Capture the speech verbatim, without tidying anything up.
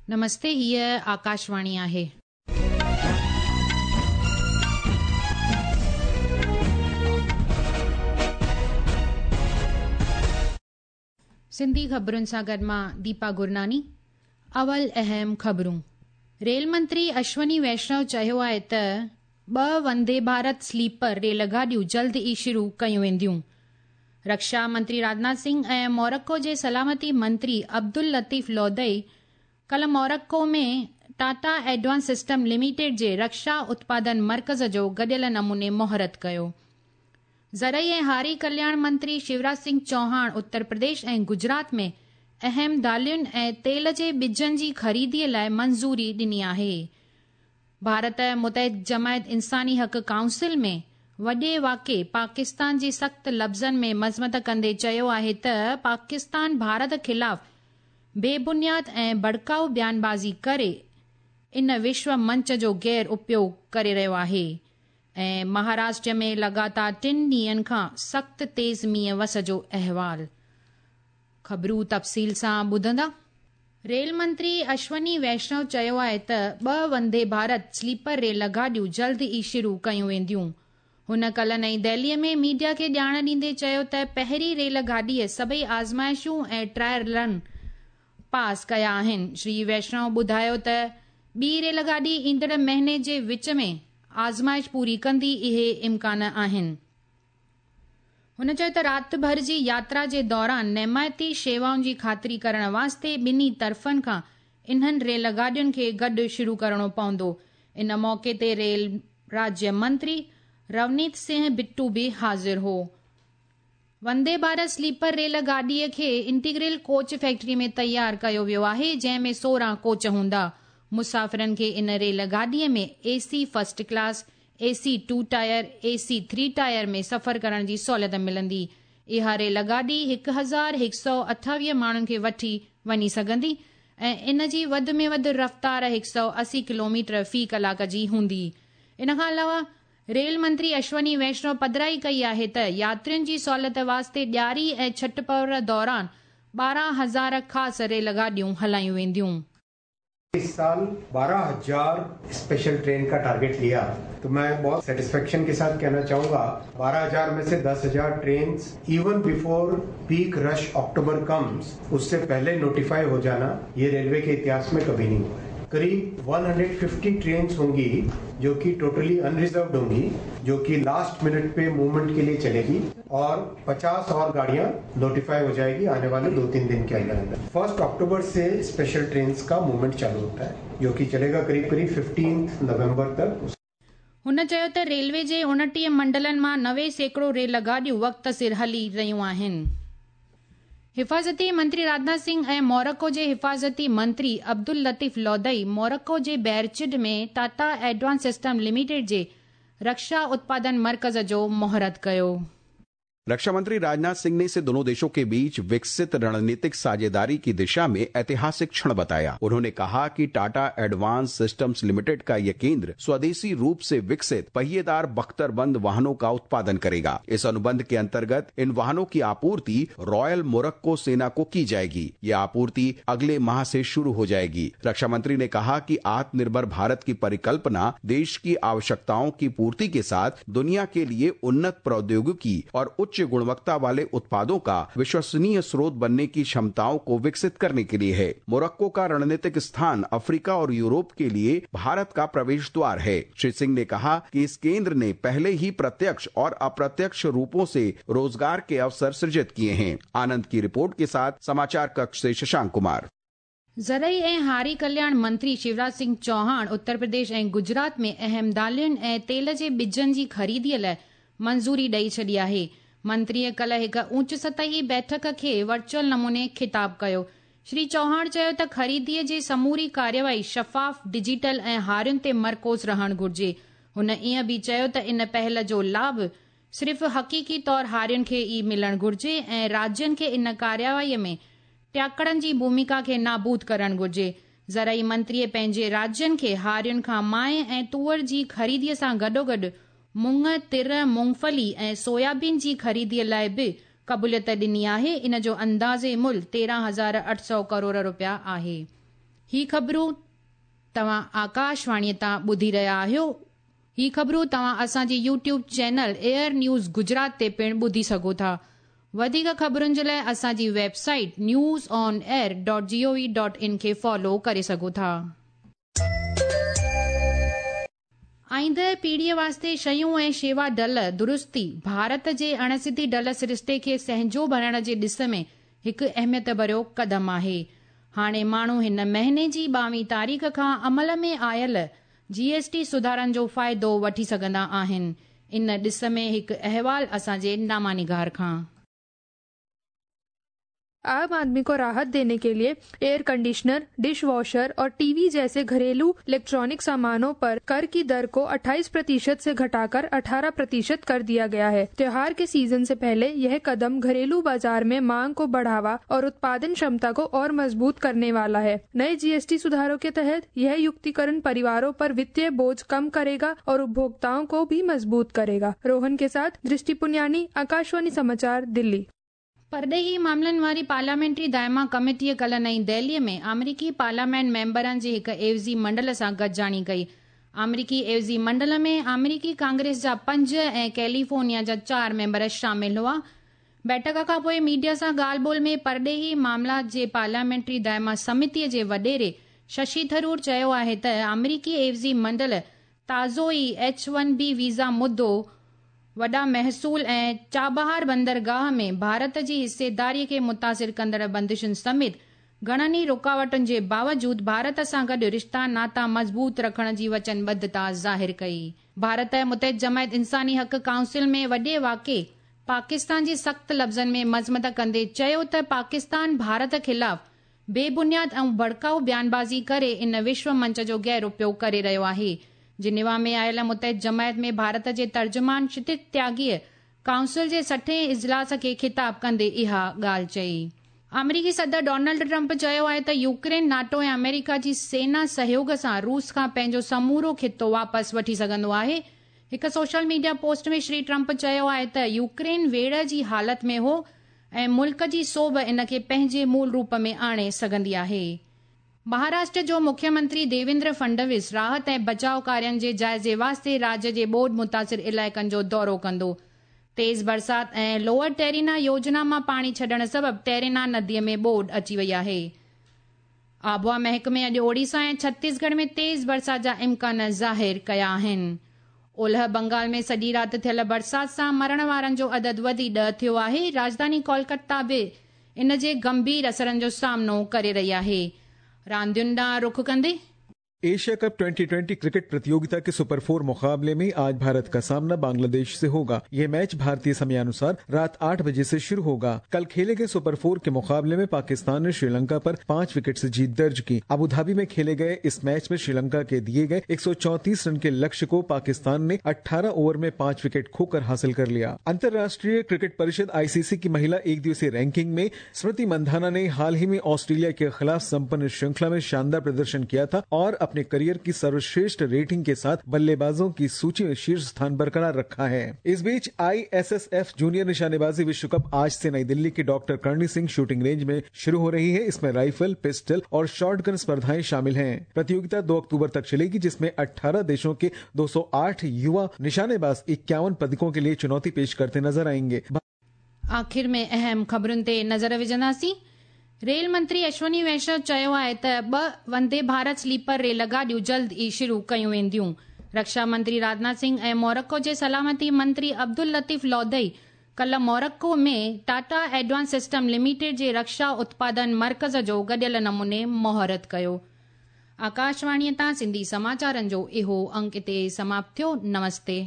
नमस्ते, हीअ आकाशवाणी आहे। सिंधी ख़बरुनि सां गॾु मां दीपा गुरनानी। अवल अहम ख़बरूं। रेल मंत्री अश्वनी वैष्णव चयो आहे त ॿ वंदे भारत स्लीपर रेल गाॾियूं जल्द ई शुरू कयूं वेंदियूं। रक्षा मंत्री राजनाथ सिंह ऐं मोरक्को जे सलामती मंत्री अब्दुल लतीफ़ लोदई कल Morocco में टाटा एडवांस सिस्टम लिमिटेड जे रक्षा उत्पादन मर्कज़ जो गॾियल नमूने मुहूर्त कयो। ज़रई ऐं हारी कल्याण मंत्री शिवराज सिंह चौहान उत्तर प्रदेश ऐं गुजरात में अहम दालियुनि ऐं तेल जे ॿिजनि जी ख़रीदीअ लाइ मंज़ूरी ॾिनी आहे। भारत मुतहिद जमायत इंसानी हक़ काउंसिल में वॾे वाक़े पाकिस्तान जी सख़्त लफ़्ज़नि में मज़मत कंदे चयो आहे त पाकिस्तान भारत ख़िलाफ़ बेबुनियाद ऐं भड़काऊ बयानबाज़ी करे इन विश्व मंच जो गैर उपयोग करे रहियो आहे। ऐं महाराष्ट्र में लगातार टिनि ॾींहनि खां सख़्त तेज़ मींहुं वस जो अहवाल। ख़बरूं तफ़सील सां ॿुधंदा। रेल मंत्री अश्वनी वैष्णव चयो आहे त ॿ वंदे भारत स्लीपर रेल गाॾियूं जल्द ई शुरू कयूं वेंदियूं। हुन कल नई दिल्लीअ में मीडिया खे ॼाण ॾींदे चयो त पहिरीं रेल गाॾीअ सभई आज़माइशूं ऐं ट्रायल रन पास कया आहिनि। श्री वैष्णव ॿुधायो त ॿी रेल गाॾी ईंदड़ महीने जे विच में आज़माइश पूरी कंदी, इहे इम्कान आहिनि। हुन चयो त राति भर जी यात्रा जे दौरान नेमायती शेवाउनि जी ख़ातिरी करण वास्ते ॿिन्ही तरफ़नि खां इन्हनि रेल गाॾियुनि खे गॾु शुरू करिणो पवंदो। इन मौक़े ते रेल राज्य मंत्री रवनीत सिंह बिट्टू बि हाज़िर हो। वंदे भारत स्लीपर रेल गाॾीअ खे इंटीग्रल कोच फैक्ट्री में तयारु कयो वियो आहे, जंहिं में सोरहं कोच हूंदा। मुसाफ़िरनि खे इन रेल गाॾीअ में AC first class, AC two tier, AC three tier में सफ़र करण जी सहूलियत मिलंदी। इहा रेल गाॾी हिकु हज़ार हिकु सौ अठावीह माण्हुनि खे वठी वञी सघंदी ऐं इन जी वधि में वधि रफ़्तार हिकु सौ असी किलोमीटर फ़ी कलाक जी हूंदी। इन खां अलावा रेल मंत्री अश्वनी वैष्णव पधराई कई आहे त यात्रियुनि जी सहूलियत वास्ते ॾियारी ऐं छठ पर्व दौरान ॿारहं हज़ार ख़ासि रेल गाॾियूं हलायूं वेंदियूं। इस साल बारह हजार स्पेशल ट्रेन का टारगेट लिया, तो मैं बहुत सेटिस्फेक्शन के साथ कहना चाहूंगा बारह हजार में से दस हजार train even before peak rush October comes, उससे पहले नोटिफाई हो जाना ये रेलवे के इतिहास में कभी नहीं हुआ है। करीब एक सौ पचास ट्रेन होंगी जो कि टोटली अनरिजर्व्ड होंगी, जो कि लास्ट मिनट पे मूवमेंट के लिए चलेगी और पचास और गाड़ियां नोटिफाई हो जाएगी आने वाले दो तीन दिन के अंदर अंदर। फर्स्ट अक्टूबर से स्पेशल ट्रेन का मूवमेंट चालू होता है, जो कि चलेगा करीब करीब फिफ्टींथ नवंबर तक। हुन चयो त रेलवे जे उणटीह मंडलनि मां नवे सैकड़ो रेल गाॾियूं वक़्त सिर हली रहियूं आहिनि। हिफ़ाज़ती मंत्री राजनाथ सिंह ऐं मोरक्को जे हिफ़ाज़ती मंत्री अब्दुल लतीफ़ लोदई मोरक्को जे बैरचिड में टाटा एडवांस सिस्टम लिमिटेड जे रक्षा उत्पादन मर्कज़ जो मुहूर्त कयो। रक्षा मंत्री राजनाथ सिंह ने इसे दोनों देशों के बीच विकसित रणनीतिक साझेदारी की दिशा में ऐतिहासिक क्षण बताया। उन्होंने कहा कि टाटा एडवांस सिस्टम्स लिमिटेड का यह केंद्र स्वदेशी रूप से विकसित पहिएदार बख्तरबंद वाहनों का उत्पादन करेगा। इस अनुबंध के अंतर्गत इन वाहनों की आपूर्ति रॉयल मोरक्को सेना को की जाएगी। यह आपूर्ति अगले माह से शुरू हो जाएगी। रक्षा मंत्री ने कहा कि आत्मनिर्भर भारत की परिकल्पना देश की आवश्यकताओं की पूर्ति के साथ दुनिया के लिए उन्नत प्रौद्योगिकी और उच्च गुणवत्ता वाले उत्पादों का विश्वसनीय स्रोत बनने की क्षमताओं को विकसित करने के लिए है। मोरक्को का रणनीतिक स्थान अफ्रीका और यूरोप के लिए भारत का प्रवेश द्वार है। श्री सिंह ने कहा कि इस केंद्र ने पहले ही प्रत्यक्ष और अप्रत्यक्ष रूपों से रोजगार के अवसर सृजित किए हैं। आनंद की रिपोर्ट के साथ समाचार कक्ष से शशांक कुमार। ज़रई ऐं हारी कल्याण मंत्री शिवराज सिंह चौहान उत्तर प्रदेश ऐं गुजरात में अहम दालियुनि ऐं तेल जे ॿिजनि जी ख़रीदीअ लाइ मंज़ूरी ॾेई छॾी आहे। मंत्रीअ कल हिकु ऊंच सतही बैठक खे वर्चुअल नमूने ख़िताब कयो। श्री चौहान चयो त ख़रीदीअ जी समूरी कार्यवाही शफ़ाफ़, डिजिटल ऐं हारियुनि ते मरकूज़ रहणु घुर्जे। हुन ईअं बि चयो त इन पहल जो लाभ सिर्फ़ हक़ीक़ी तौर हारियुनि खे ई मिलणु घुर्जे ऐं राज्यनि खे इन कार्यवाहीअ में टियाकड़नि जी भूमिका खे नाबूद करणु घुर्जे। ज़रई मंत्रीअ पंहिंजे राज्यनि खे हारियुनि खां माए ऐं तूअर जी ख़रीदीअ सां गॾोगॾु मुंग, तिर, मूंगफली ऐं सोयाबीन जी ख़रीदीअ लाइ बि क़बूलियत ॾिनी आहे। इन जो अंदाज़े मुल्ह तेरहं हज़ार अठ सौ करोड़ रुपया आहे। ही ख़बरूं तव्हां आकाशवाणीअ तां ॿुधी रहिया आहियो। ही ख़बरूं तव्हां असांजे YouTube channel AIR news Gujarat ते पिणु ॿुधी सघो था। वधीक ख़बरुनि जे लाइ असांजी website news on air dot G O V dot in खे फॉलो करे सघो था। आईंदड़ पीढ़ीअ वास्ते शयूं ऐं शेवा डल दुरुस्ती भारत जे अणसिधी डल सरिश्ते खे सहजो भरण जे ॾिस में हिकु अहमियत भरियो क़दम आहे। हाणे माण्हू हिन महीने जी ॿावीह तारीख़ खां अमल में आयल जीएसटी सुधारनि जो फ़ाइदो वठी सघंदा आहिनि। इन ॾिस में हिकु अहवाल असांजे नामानिगार खां। आम आदमी को राहत देने के लिए एयर कंडीशनर, डिश वॉशर और टीवी जैसे घरेलू इलेक्ट्रॉनिक सामानों पर कर की दर को अट्ठाईस प्रतिशत से घटाकर अठारह प्रतिशत कर दिया गया है। त्योहार के सीजन से पहले यह कदम घरेलू बाजार में मांग को बढ़ावा और उत्पादन क्षमता को और मजबूत करने वाला है। नए जीएसटी सुधारों के तहत यह युक्तिकरण परिवारों पर वित्तीय बोझ कम करेगा और उपभोक्ताओं को भी मजबूत करेगा। रोहन के साथ दृष्टि पुनियानी, आकाशवाणी समाचार, दिल्ली। परॾेही मामलनि वारी पार्लियामेंट्री दायमा कमेटीअ कल्ह नई दिल्लीअ में अमरीकी पार्लियामेंट मेंबरनि जे हिकु एवज़ी मंडल सां गॾिजाणी कई। अमरीकी एवज़ी मंडल में अमरीकी कांग्रेस जा पंज ऐं कैलिफोर्निया जा चारि मेंबर शामिल हुआ। बैठक खां पोइ मीडिया सां ॻाल्हि ॿोल में परॾेही मामला जे पार्लियामेंट्री दायमा समितीअ जे वॾेरे शशि थरूर चयो आहे त अमरीकी एवज़ी मंडल ताज़ो ई एच वन बी वीज़ा मुद्दो, वॾा महसूल ऐं चाबहार बंदरगाह में भारत जी हिस्सेदारीअ खे मुतासिर कंदड़ बंदिशुनि समेत घणनि ई रुकावटुनि जे बावजूद भारत सां गॾु रिश्ता नाता मज़बूत रखण जी वचनबद्धता ज़ाहिर कई। भारत मुतहद जमायत इंसानी हक़ काउंसिल में वॾे वाक़े पाकिस्तान जी सख़्त लफ़्ज़नि में मज़मत कंदे चयो त पाकिस्तान भारत ख़िलाफ़ बेबुनियाद ऐं भड़काऊ बयानबाज़ी करे इन विश्व मंच जो गैर उपयोग करे रहियो आहे। जिनेवा में आयल मुतहद जमायत में भारत जे तर्जुमान क्षितिज त्यागीअ काउंसिल जे सठे इजलास खे ख़िताब कंदे इहा ॻाल्हि चई। अमरीकी सदर डोनाल्ड ट्रंप चयो आहे त यूक्रेन नाटो ऐं अमेरिका जी सेना सहयोग सां रूस खां पंहिंजो समूरो ख़ितो वापसि वठी सघंदो आहे। हिकु social media post में श्री ट्रंप चयो आहे त यूक्रेन वेड़ जी हालत में हो ऐं मुल्क जी सोभ इन खे पंहिंजे मूल रूप में आणे सघंदी आहे। महाराष्ट्र जो मुख्यमंत्री देवेंद्र फडणवीस राहत ऐं बचाव कार्यनि जे जाइज़े वास्ते राज्य जे ॿोॾ मुतासिर इलाइक़नि जो दौरो कंदो। तेज़ बरसात ऐं लोअर टेरिना योजना मां पाणी छॾण सबबि टेरिना नदीअ में ॿोॾ अची वई आहे। आबहावा महकमे अॼु ओडिशा ऐं छत्तीसगढ़ में तेज़ बरसात जा इम्कान ज़ाहिर कया आहिनि। ओलह बंगाल में सॼी राति थियल बरसात सां मरण वारनि जो अदद वधी ॾह थियो आहे। राजधानी कोलकाता बि इन जे गंभीर असरनि जो सामनो करे रही आहे। रांदियुनि ॾांहुं रुख कंदे Asia cup twenty twenty cricket प्रतियोगिता के सुपर फोर मुकाबले में आज भारत का सामना बांग्लादेश से होगा। ये मैच भारतीय समयानुसार रात आठ बजे से शुरू होगा। कल खेले गए सुपर फोर के मुकाबले में पाकिस्तान ने श्रीलंका पर पांच विकेट से जीत दर्ज की। अबू धाबी में खेले गए इस मैच में श्रीलंका के दिए गए एक सौ चौंतीस रन के लक्ष्य को पाकिस्तान ने अठारह ओवर में पांच विकेट खोकर हासिल कर लिया। अंतर्राष्ट्रीय क्रिकेट परिषद आईसीसी की महिला एक दिवसीय रैंकिंग में स्मृति मंधाना ने हाल ही में ऑस्ट्रेलिया के खिलाफ संपन्न श्रृंखला में शानदार प्रदर्शन किया था और अपने करियर की सर्वश्रेष्ठ रेटिंग के साथ बल्लेबाजों की सूची में शीर्ष स्थान बरकरार रखा है। इस बीच आईएसएसएफ जूनियर निशानेबाजी विश्व कप आज से नई दिल्ली के doctor Karni Singh shooting range में शुरू हो रही है। इसमें राइफल, पिस्टल और शॉटगन स्पर्धाएं शामिल हैं। प्रतियोगिता दो अक्टूबर तक चलेगी, जिसमें अठारह देशों के दो सौ आठ युवा निशानेबाज इक्यावन पदकों के लिए चुनौती पेश करते नजर आएंगे। आख़िर में अहम ख़बरुनि ते नज़र विझंदासीं। रेल मंत्री अश्वनी वैष्णव चयो आहे त ॿ वंदे भारत स्लीपर रेल गाॾियूं जल्द ई शुरू कयूं वेंदियूं। रक्षा मंत्री राजनाथ सिंह ऐं मोरक्को जे सलामती मंत्री अब्दुल लतीफ़ लौदई कल Morocco में टाटा एडवांस सिस्टम लिमिटेड जे रक्षा उत्पादन मर्कज़ जो गॾियल नमूने मुहूर्त कयो। आकाशवाणीअ तां सिंधी समाचारनि जो इहो अंक हिते समाप्त थियो। नमस्ते।